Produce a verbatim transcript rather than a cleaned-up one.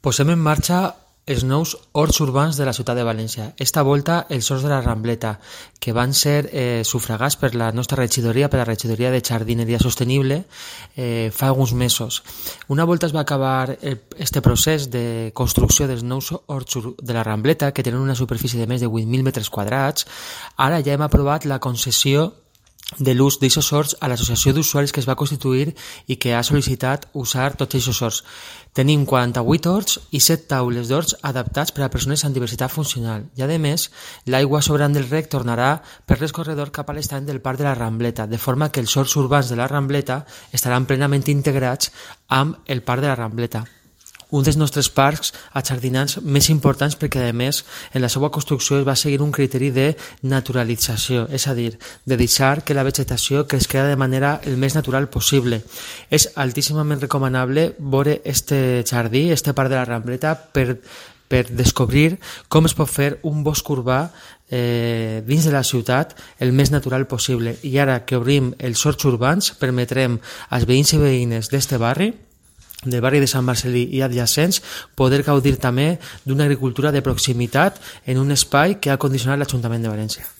Posem en marxa els nous horts urbans de la ciutat de València. Esta volta els horts de la Rambleta, que van ser eh, sufragats per la nostra regidoria, per la regidoria de Jardineria Sostenible, eh, fa alguns mesos. Una volta es va acabar este procés de construcció dels nous horts de la Rambleta, que tenen una superfície de més de vuit mil metres quadrats, ara ja hem aprovat la concessió de l'ús d'aixòs horts a l'associació d'usuaris que es va constituir i que ha sol·licitat usar tots aquests horts. Tenim quaranta-vuit horts i set taules d'horts adaptats per a persones amb diversitat funcional. I, a més, l'aigua sobrant del rec tornarà per l'escorredor cap a l'estany del Parc de la Rambleta, de forma que els horts urbans de la Rambleta estaran plenament integrats amb el Parc de la Rambleta, un dels nostres parcs ajardinats més importants perquè, a més, en la seva construcció es va seguir un criteri de naturalització, és a dir, de deixar que la vegetació cresquera de manera el més natural possible. És altíssimament recomanable veure este jardí, este parc de la Rambleta, per, per descobrir com es pot fer un bosc urbà eh, dins de la ciutat el més natural possible. I ara que obrim els horts urbans, permetrem als veïns i veïnes d'este barri, del barri de Sant Marcelí i adjacents, poder gaudir també d'una agricultura de proximitat en un espai que ha condicionat l'Ajuntament de València.